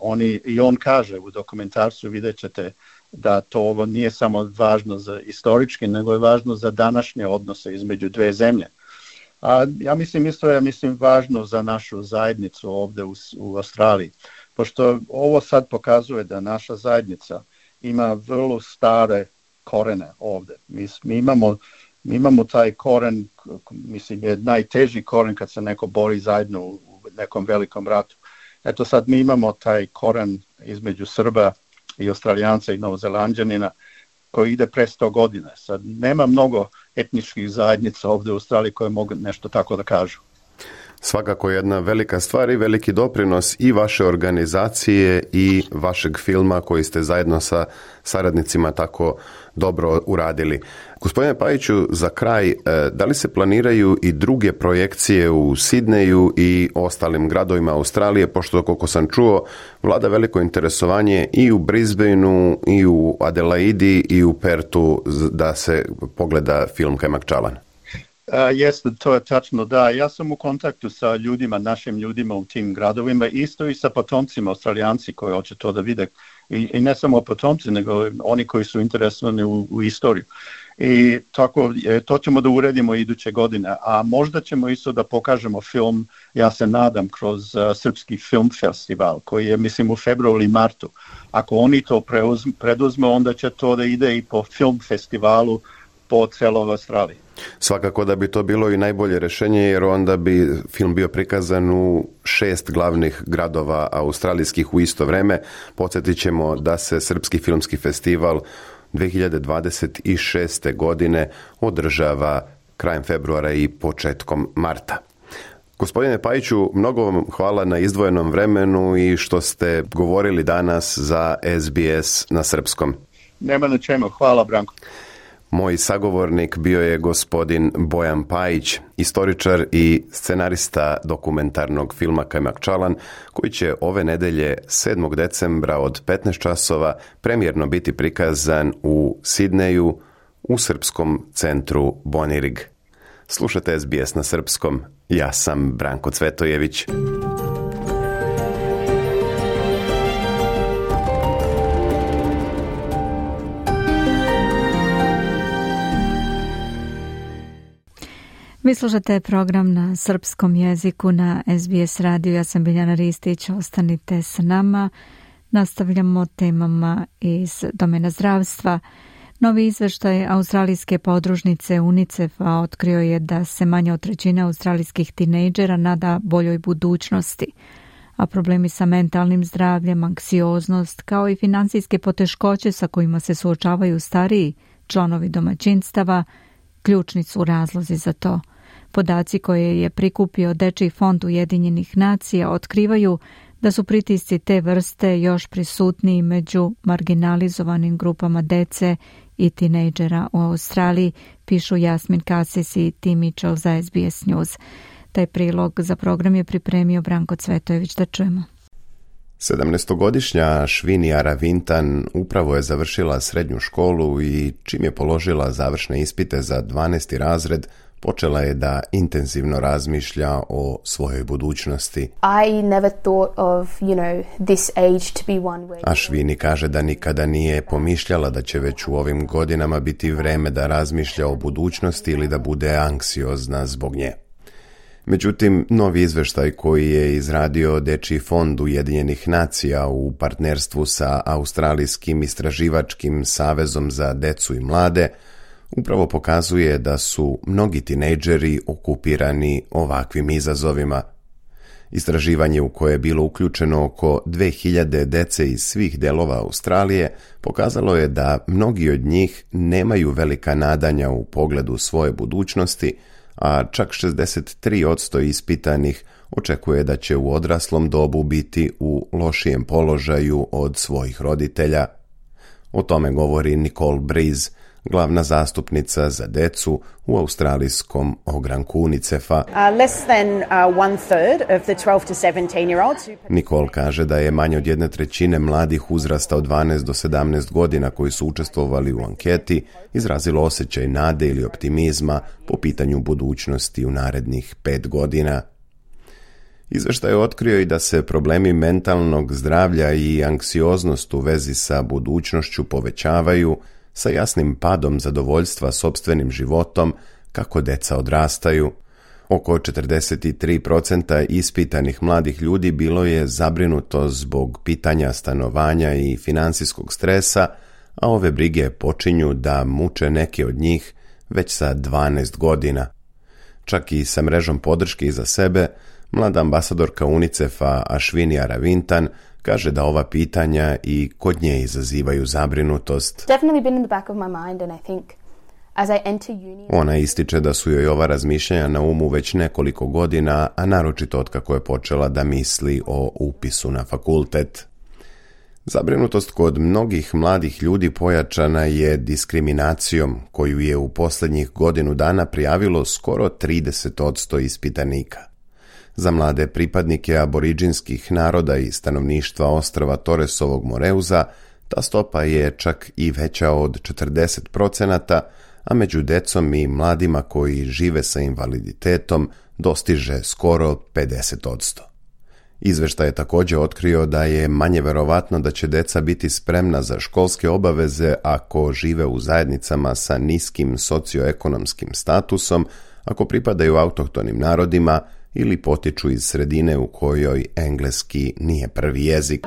on kaže u dokumentarcu, vidjet ćete da to ovo nije samo važno za istorički, nego je važno za današnje odnose između dve zemlje. A ja mislim isto je važno za našu zajednicu ovdje u Australiji, pošto ovo sad pokazuje da naša zajednica ima vrlo stare korene ovdje. Mi imamo taj koren, je najteži koren kad se neko bori zajedno u nekom velikom ratu. Eto sad mi imamo taj koren između Srba i Australijanca i Novozelanđanina koji ide pre 100 godina. Sad nema mnogo etničkih zajednica ovdje u Australiji koje mogu nešto tako da kažu. Svakako jedna velika stvar i veliki doprinos i vaše organizacije i vašeg filma koji ste zajedno sa saradnicima tako dobro uradili. Gospodine Pajiću, za kraj, da li se planiraju i druge projekcije u Sidneju i ostalim gradovima Australije, pošto koliko sam čuo, vlada veliko interesovanje i u Brisbaneu, i u Adelaidi, i u Pertu da se pogleda film Kajmak Čalan? Jeste, to je tačno, da. Ja sam u kontaktu sa ljudima, našim ljudima u tim gradovima, isto i sa potomcima, Australijanci koji hoće to da vide. I ne samo potomci, nego oni koji su interesovani u istoriju. I tako, to ćemo da uredimo iduće godine. A možda ćemo isto da pokažemo film, ja se nadam, kroz Srpski film festival, koji je, u februaru ili martu. Ako oni to preduzme, onda će to da ide i po film festivalu po celoj Australiji. Svakako da bi to bilo i najbolje rješenje, jer onda bi film bio prikazan u 6 glavnih gradova australijskih u isto vreme. Podsjetit ćemo da se Srpski filmski festival 2026. godine održava krajem februara i početkom marta. Gospodine Pajiću, mnogo vam hvala na izdvojenom vremenu i što ste govorili danas za SBS na srpskom. Nema na čemu. Hvala, Branko. Moj sagovornik bio je gospodin Bojan Pajić, istoričar i scenarista dokumentarnog filma Kajmak Čalan, koji će ove nedelje 7. decembra od 15 časova premijerno biti prikazan u Sidneju u srpskom centru Bonirig. Slušate SBS na srpskom. Ja sam Branko Cvetojević. Vi slušate program na srpskom jeziku na SBS radiju. Ja sam Biljana Ristić. Ostanite sa nama. Nastavljamo temama iz domena zdravstva. Novi izveštaj australijske podružnice UNICEF-a otkrio je da se manje od trećine australijskih tinejdžera nada boljoj budućnosti, a problemi sa mentalnim zdravljem, anksioznost, kao i finansijske poteškoće sa kojima se suočavaju stariji članovi domaćinstava, ključni su razlozi za to. Podaci koje je prikupio Dečiji fond Ujedinjenih nacija otkrivaju da su pritisci te vrste još prisutniji među marginalizovanim grupama dece i tinejdžera u Australiji, pišu Jasmin Kasis i Tim Mitchell za SBS News. Taj prilog za program je pripremio Branko Cvetojević. Da čujemo. 17-godišnja Švinija Ravintan upravo je završila srednju školu i čim je položila završne ispite za 12. razred, počela je da intenzivno razmišlja o svojoj budućnosti. A Švini kaže da nikada nije pomišljala da će već u ovim godinama biti vreme da razmišlja o budućnosti ili da bude anksiozna zbog nje. Međutim, novi izveštaj koji je izradio Dečiji fond Ujedinjenih nacija u partnerstvu sa Australijskim istraživačkim savezom za decu i mlade upravo pokazuje da su mnogi tinejdžeri okupirani ovakvim izazovima. Istraživanje u koje je bilo uključeno oko 2000 dece iz svih delova Australije pokazalo je da mnogi od njih nemaju velika nadanja u pogledu svoje budućnosti, a čak 63% ispitanih očekuje da će u odraslom dobu biti u lošijem položaju od svojih roditelja. O tome govori Nicole Breeze, glavna zastupnica za decu u australijskom ogranku UNICEF-a. Nicole kaže da je manje od 1/3 mladih uzrasta od 12 do 17 godina koji su učestvovali u anketi izrazilo osjećaj nade ili optimizma po pitanju budućnosti u narednih 5 godina. Izveštaj je otkrio i da se problemi mentalnog zdravlja i anksioznost u vezi sa budućnošću povećavaju sa jasnim padom zadovoljstva sopstvenim životom kako deca odrastaju. Oko 43% ispitanih mladih ljudi bilo je zabrinuto zbog pitanja stanovanja i finansijskog stresa, a ove brige počinju da muče neke od njih već sa 12 godina. Čak i sa mrežom podrške iza sebe, mlada ambasadorka UNICEF-a Ashwini Ravintan kaže da ova pitanja i kod nje izazivaju zabrinutost. Ona ističe da su joj ova razmišljanja na umu već nekoliko godina, a naročito otkako je počela da misli o upisu na fakultet. Zabrinutost kod mnogih mladih ljudi pojačana je diskriminacijom koju je u posljednjih godinu dana prijavilo skoro 30% ispitanika. Za mlade pripadnike aboriđinskih naroda i stanovništva ostrva Torresovog Moreuza ta stopa je čak i veća od 40%, a među decom i mladima koji žive sa invaliditetom dostiže skoro 50%. Izveštaj je također otkrio da je manje verovatno da će deca biti spremna za školske obaveze ako žive u zajednicama sa niskim socioekonomskim statusom, ako pripadaju autohtonim narodima ili potiču iz sredine u kojoj engleski nije prvi jezik.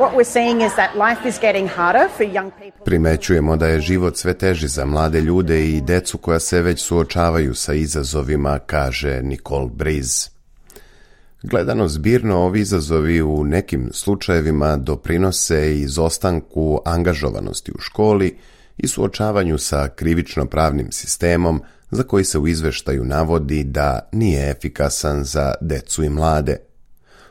Primećujemo da je život sve teži za mlade ljude i decu koja se već suočavaju sa izazovima, kaže Nicole Breeze. Gledano zbirno, ovi izazovi u nekim slučajevima doprinose izostanku angažovanosti u školi i suočavanju sa krivično-pravnim sistemom, za koji se u izveštaju navodi da nije efikasan za decu i mlade.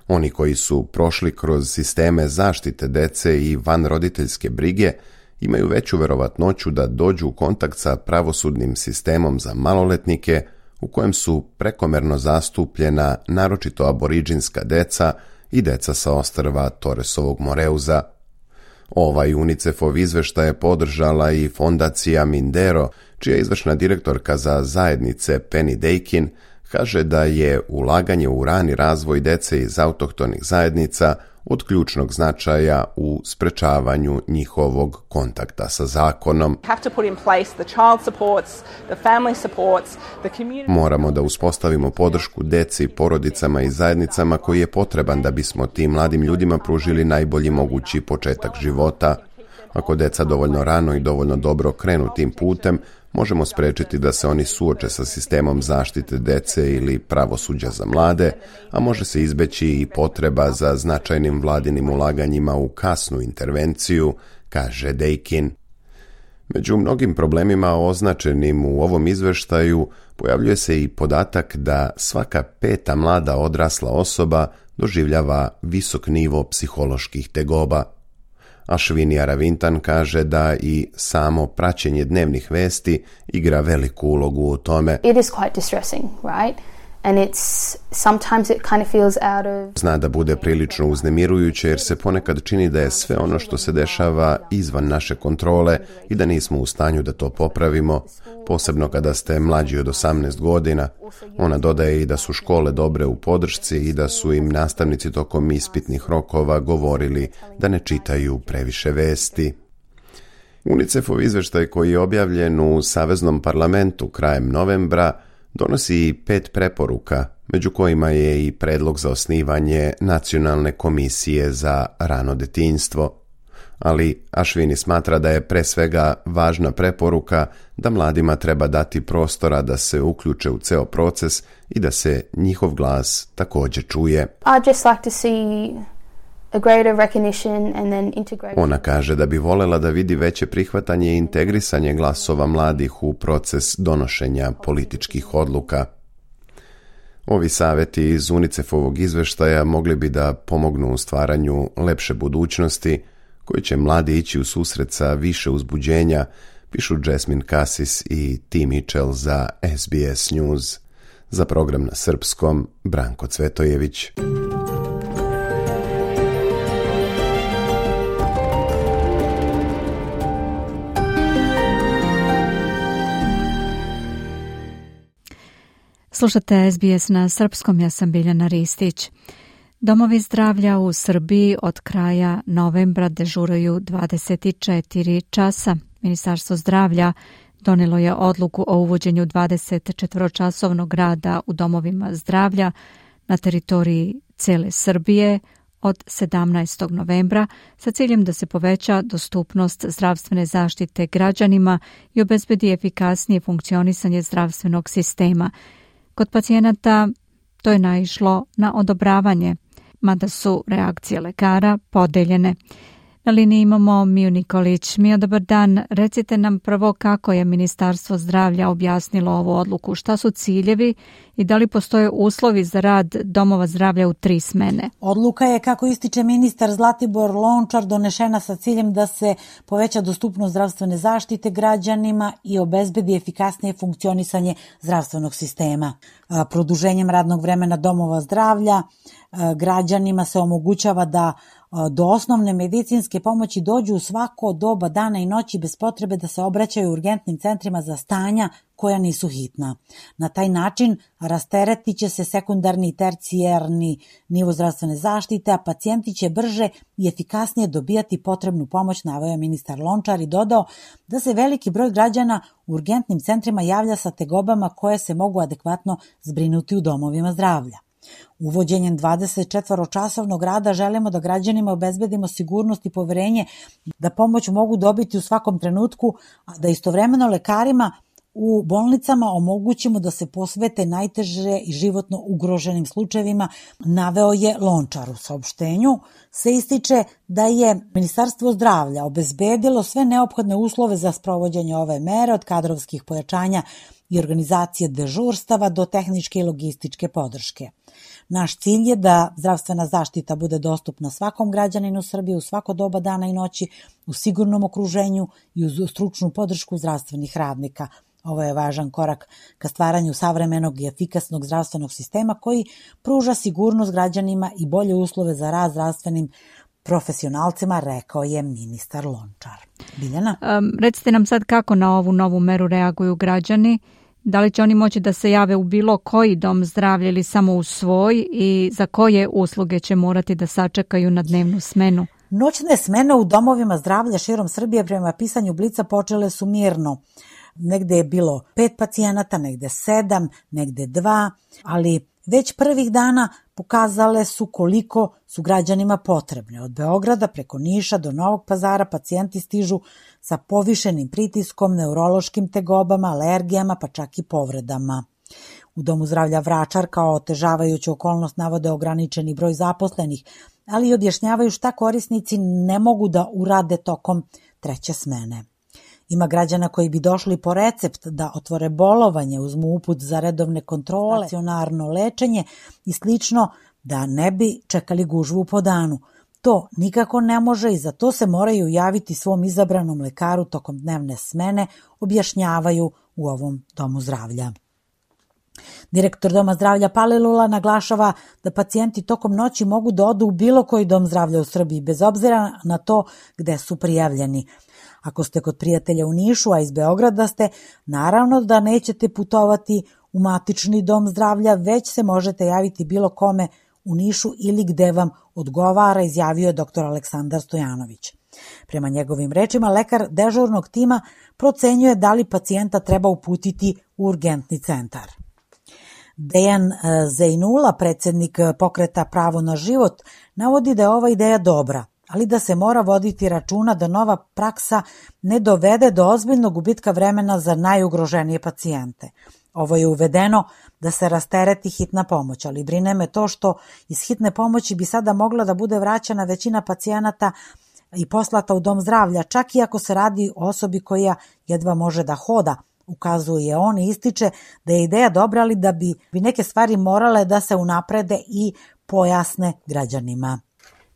Oni koji su prošli kroz sisteme zaštite dece i vanroditeljske brige imaju veću verovatnoću da dođu u kontakt sa pravosudnim sistemom za maloletnike u kojem su prekomerno zastupljena naročito aboriđinska deca i deca sa ostrva Torresovog Moreuza. Ovaj UNICEF-ov izveštaj je podržala i fondacija Mindero, čija izvršna direktorka za zajednice Penny Dakin kaže da je ulaganje u rani razvoj dece iz autohtonih zajednica od ključnog značaja u sprečavanju njihovog kontakta sa zakonom. Moramo da uspostavimo podršku deci, porodicama i zajednicama koji je potreban da bismo tim mladim ljudima pružili najbolji mogući početak života. Ako deca dovoljno rano i dovoljno dobro krenu tim putem, možemo sprečiti da se oni suoče sa sistemom zaštite dece ili pravosuđa za mlade, a može se izbeći i potreba za značajnim vladinim ulaganjima u kasnu intervenciju, kaže Dakin. Među mnogim problemima označenim u ovom izveštaju pojavljuje se i podatak da svaka 5. mlada odrasla osoba doživljava visok nivo psiholoških tegoba. Ashwini Aravintan kaže da i samo praćenje dnevnih vesti igra veliku ulogu u tome. It is quite distressing, right? And sometimes it kind of feels out of... Zna da bude prilično uznemirujuće jer se ponekad čini da je sve ono što se dešava izvan naše kontrole i da nismo u stanju da to popravimo, posebno kada ste mlađi od 18 godina. Ona dodaje i da su škole dobre u podršci i da su im nastavnici tokom ispitnih rokova govorili da ne čitaju previše vesti. UNICEF-ov izveštaj koji je objavljen u Saveznom parlamentu krajem novembra donosi 5 preporuka, među kojima je i predlog za osnivanje Nacionalne komisije za rano detinjstvo. Ali Ashwini smatra da je pre svega važna preporuka da mladima treba dati prostora da se uključe u ceo proces i da se njihov glas također čuje. I'd just like to see a greater recognition and then integration. Ona kaže da bi volela da vidi veće prihvatanje i integrisanje glasova mladih u proces donošenja političkih odluka. Ovi savjeti iz UNICEF-ovog izveštaja mogli bi da pomognu u stvaranju lepše budućnosti, koji će mladi ići u susret sa više uzbuđenja, pišu Jasmine Cassis i T. Mitchell za SBS News. Za program na srpskom, Branko Cvetojević. Slušate SBS na srpskom, ja sam Biljana Ristić. Domovi zdravlja u Srbiji od kraja novembra dežuraju 24 časa. Ministarstvo zdravlja donelo je odluku o uvođenju 24-časovnog rada u domovima zdravlja na teritoriji cele Srbije od 17. novembra sa ciljem da se poveća dostupnost zdravstvene zaštite građanima i obezbedi efikasnije funkcionisanje zdravstvenog sistema. Kod pacijenata to je naišlo na odobravanje, mada su reakcije lekara podeljene. Na liniji imamo Miju Nikolić. Mio, dobar dan. Recite nam prvo kako je Ministarstvo zdravlja objasnilo ovu odluku, šta su ciljevi i da li postoje uslovi za rad domova zdravlja u 3 smene. Odluka je, kako ističe ministar Zlatibor Lončar, donešena sa ciljem da se poveća dostupnost zdravstvene zaštite građanima i obezbedi efikasnije funkcionisanje zdravstvenog sistema. Produženjem radnog vremena domova zdravlja građanima se omogućava da do osnovne medicinske pomoći dođu u svako doba dana i noći bez potrebe da se obraćaju urgentnim centrima za stanja koja nisu hitna. Na taj način rasteretit će se sekundarni i tercijarni nivo zdravstvene zaštite, a pacijenti će brže i efikasnije dobijati potrebnu pomoć, naveo je ministar Lončar i dodao da se veliki broj građana u urgentnim centrima javlja sa tegobama koje se mogu adekvatno zbrinuti u domovima zdravlja. Uvođenjem 24-časovnog rada želimo da građanima obezbedimo sigurnost i poverenje da pomoć mogu dobiti u svakom trenutku, a da istovremeno lekarima u bolnicama omogućimo da se posvete najteže i životno ugroženim slučajevima, naveo je Lončar. U saopštenju se ističe da je Ministarstvo zdravlja obezbedilo sve neophodne uslove za sprovođenje ove mere, od kadrovskih pojačanja i organizacije dežurstava do tehničke i logističke podrške. Naš cilj je da zdravstvena zaštita bude dostupna svakom građaninu Srbije u svako doba dana i noći, u sigurnom okruženju i uz stručnu podršku zdravstvenih radnika. Ovo je važan korak ka stvaranju savremenog i efikasnog zdravstvenog sistema koji pruža sigurnost građanima i bolje uslove za rad zdravstvenim profesionalcima, rekao je ministar Lončar. Biljana? Recite nam sad kako na ovu novu meru reaguju građani. Da li će oni moći da se jave u bilo koji dom zdravlja ili samo u svoj i za koje usluge će morati da sačekaju na dnevnu smenu? Noćne smene u domovima zdravlja širom Srbije prema pisanju Blica počele su mirno. Negde je bilo 5 pacijenata, negde 7, negde 2, ali već prvih dana pokazale su koliko su građanima potrebne. Od Beograda preko Niša do Novog Pazara pacijenti stižu sa povišenim pritiskom, neurološkim tegobama, alergijama, pa čak i povredama. U Domu zdravlja Vračar kao otežavajuću okolnost navode ograničeni broj zaposlenih, ali i objašnjavaju šta korisnici ne mogu da urade tokom treće smene. Ima građana koji bi došli po recept da otvore bolovanje, uzmu uput za redovne kontrole, stacionarno lečenje i slično, da ne bi čekali gužvu po danu. To nikako ne može i za to se moraju javiti svom izabranom lekaru tokom dnevne smene, objašnjavaju u ovom domu zdravlja. Direktor Doma zdravlja Palilula naglašava da pacijenti tokom noći mogu da odu u bilo koji dom zdravlja u Srbiji, bez obzira na to gde su prijavljeni. Ako ste kod prijatelja u Nišu, a iz Beograda ste, naravno da nećete putovati u matični dom zdravlja, već se možete javiti bilo kome u Nišu ili gde vam odgovara, izjavio je dr. Aleksandar Stojanović. Prema njegovim rečima, lekar dežurnog tima procenjuje da li pacijenta treba uputiti u urgentni centar. Dejan Zejnula, predsjednik pokreta Pravo na život, navodi da je ova ideja dobra, ali da se mora voditi računa da nova praksa ne dovede do ozbiljnog gubitka vremena za najugroženije pacijente. Ovo je uvedeno da se rastereti hitna pomoć, ali brine me to što iz hitne pomoći bi sada mogla da bude vraćana većina pacijenata i poslata u dom zdravlja, čak i ako se radi o osobi koja jedva može da hoda, ukazuje on i ističe da je ideja dobra, ali da bi neke stvari morale da se unaprede i pojasne građanima.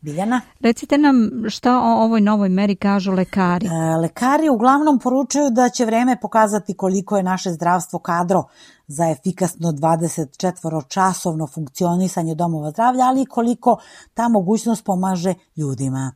Biljana? Recite nam šta o ovoj novoj meri kažu lekari. Lekari uglavnom poručuju da će vreme pokazati koliko je naše zdravstvo kadro za efikasno 24-časovno funkcionisanje domova zdravlja, ali i koliko ta mogućnost pomaže ljudima.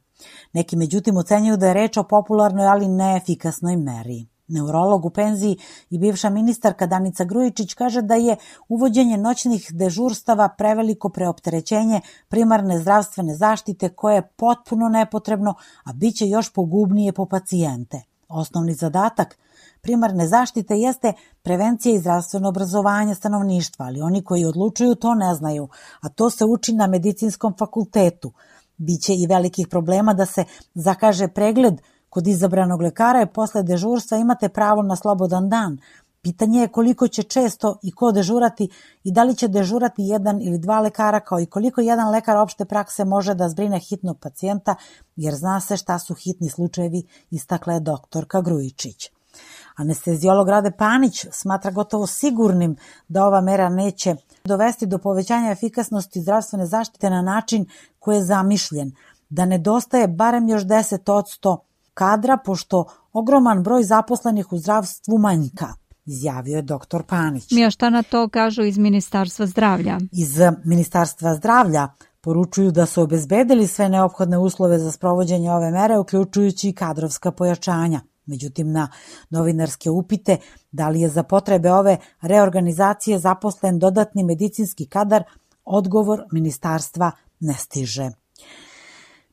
Neki međutim ocenjuju da je reč o popularnoj, ali neefikasnoj meri. Neurolog u penziji i bivša ministarka Danica Grujičić kaže da je uvođenje noćnih dežurstava preveliko preopterećenje primarne zdravstvene zaštite koje je potpuno nepotrebno, a bit će još pogubnije po pacijente. Osnovni zadatak primarne zaštite jeste prevencija i zdravstveno obrazovanje stanovništva, ali oni koji odlučuju to ne znaju, a to se uči na medicinskom fakultetu. Biće i velikih problema da se zakaže pregled kod izabranog lekara i posle dežurstva imate pravo na slobodan dan. Pitanje je koliko će često i ko dežurati i da li će dežurati 1 ili 2 lekara, kao i koliko jedan lekar opšte prakse može da zbrine hitnog pacijenta, jer zna se šta su hitni slučajevi, istakla je doktorka Grujičić. Anesteziolog Rade Panić smatra gotovo sigurnim da ova mera neće dovesti do povećanja efikasnosti zdravstvene zaštite na način koji je zamišljen, da nedostaje barem još 10% kadra, pošto ogroman broj zaposlenih u zdravstvu manjka, izjavio je dr. Panić. A šta na to kažu iz Ministarstva zdravlja? Iz Ministarstva zdravlja poručuju da su obezbedili sve neophodne uslove za sprovođenje ove mere, uključujući i kadrovska pojačanja. Međutim, na novinarske upite da li je za potrebe ove reorganizacije zaposlen dodatni medicinski kadar, odgovor ministarstva ne stiže.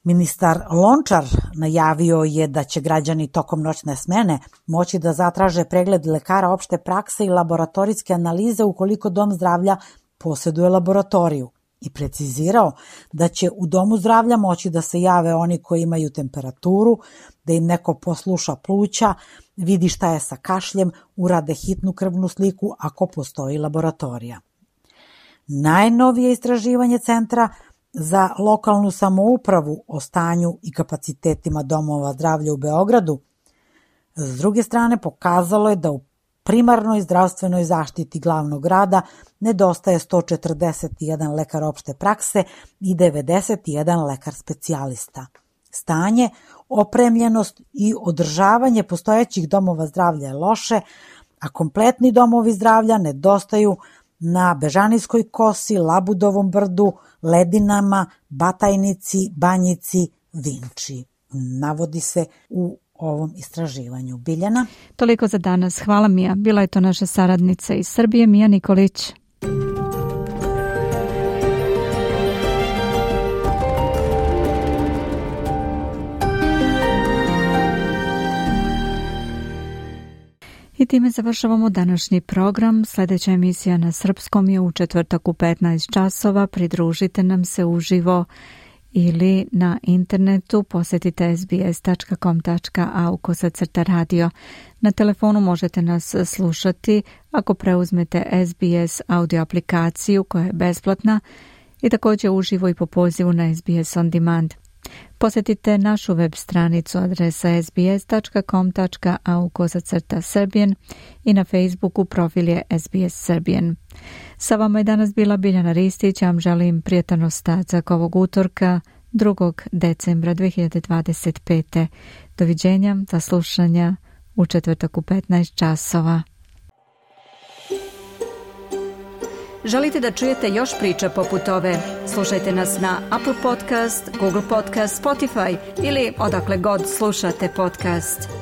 Ministar Lončar najavio je da će građani tokom noćne smene moći da zatraže pregled lekara opšte prakse i laboratorijske analize ukoliko dom zdravlja posjeduje laboratoriju. i precizirao da će u domu zdravlja moći da se jave oni koji imaju temperaturu, da im neko posluša pluća, vidi šta je sa kašljem, urade hitnu krvnu sliku ako postoji laboratorija. Najnovije istraživanje Centra za lokalnu samoupravu o stanju i kapacitetima domova zdravlja u Beogradu s druge strane pokazalo je da u primarnoj zdravstvenoj zaštiti glavnog grada nedostaje 141 lekar opšte prakse i 91 lekar specijalista. Stanje, opremljenost i održavanje postojećih domova zdravlja je loše, a kompletni domovi zdravlja nedostaju na Bežanijskoj kosi, Labudovom brdu, Ledinama, Batajnici, Banjici, Vinči. Navodi se u ovom istraživanju. Biljana? Toliko za danas. Hvala Mija. Bila je to naša saradnica iz Srbije, Mija Nikolić. I time završavamo današnji program. Sljedeća emisija na srpskom je u četvrtak u 15 časova. Pridružite nam se uživo ili na internetu. Posjetite sbs.com.au/radio. Na telefonu možete nas slušati ako preuzmete SBS audio aplikaciju koja je besplatna i također uživo i po pozivu na SBS On Demand. Posjetite našu web stranicu adresa sbs.com.au/Serbian i na Facebooku profil je SBS Serbian. Sa vama je danas bila Biljana Ristić, ja vam želim prijatan ostatak ovog utorka 2. decembra 2025. Doviđenja, za slušanja u četvrtak u 15 časova. Želite da čujete još priča poput ove? Slušajte nas na Apple Podcast, Google Podcast, Spotify ili odakle god slušate podcast.